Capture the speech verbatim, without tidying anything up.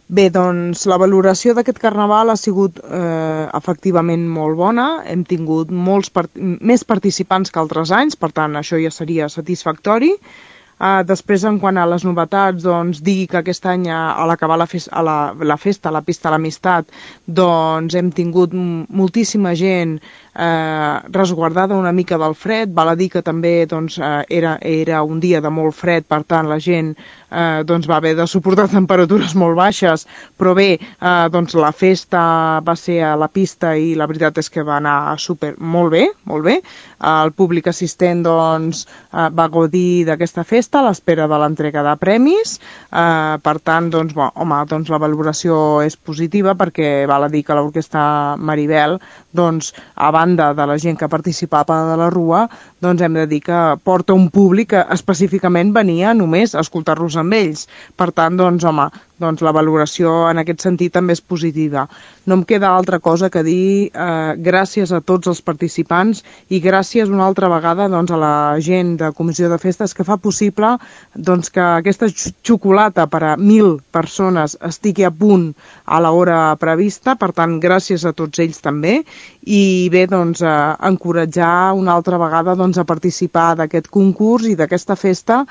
Bé, doncs la valoració d'aquest carnaval ha sigut eh, efectivament molt bona. Hem tingut molts part més participants que altres anys, per tant això ja seria satisfactori. Uh, després, en quant a les novetats, doncs, dir que aquest any, a l'acabar la, fes a la, la festa, a la pista de l'Amistat, doncs hem tingut moltíssima gent eh, resguardada una mica del fred. Val a dir que també doncs, eh, era, era un dia de molt fred, per tant la gent eh, doncs, va haver de suportar temperatures molt baixes, però bé, eh, doncs, la festa va ser a la pista i la veritat és que va anar super, molt bé, molt bé. El públic assistent doncs, eh, va gaudir d'aquesta festa a l'espera de l'entrega de premis. Eh, per tant, doncs, bo, home, doncs la valoració és positiva perquè val a dir que l'Orquestra Maribel, doncs, a banda de la gent que participava de la Rua, doncs hem de dir que porta un públic que específicament venia només a escoltar-los amb ells. Per tant, doncs, home, doncs la valoració en aquest sentit també és positiva. No em queda altra cosa que dir eh, gràcies a tots els participants i gràcies una altra vegada doncs, a la gent de Comissió de Festes que fa possible doncs, que aquesta xocolata per a mil persones estigui a punt a l'hora prevista. Per tant, gràcies a tots ells també. I bé, doncs, eh, encoratjar una altra vegada doncs, a participar d'aquest concurs i d'aquesta festa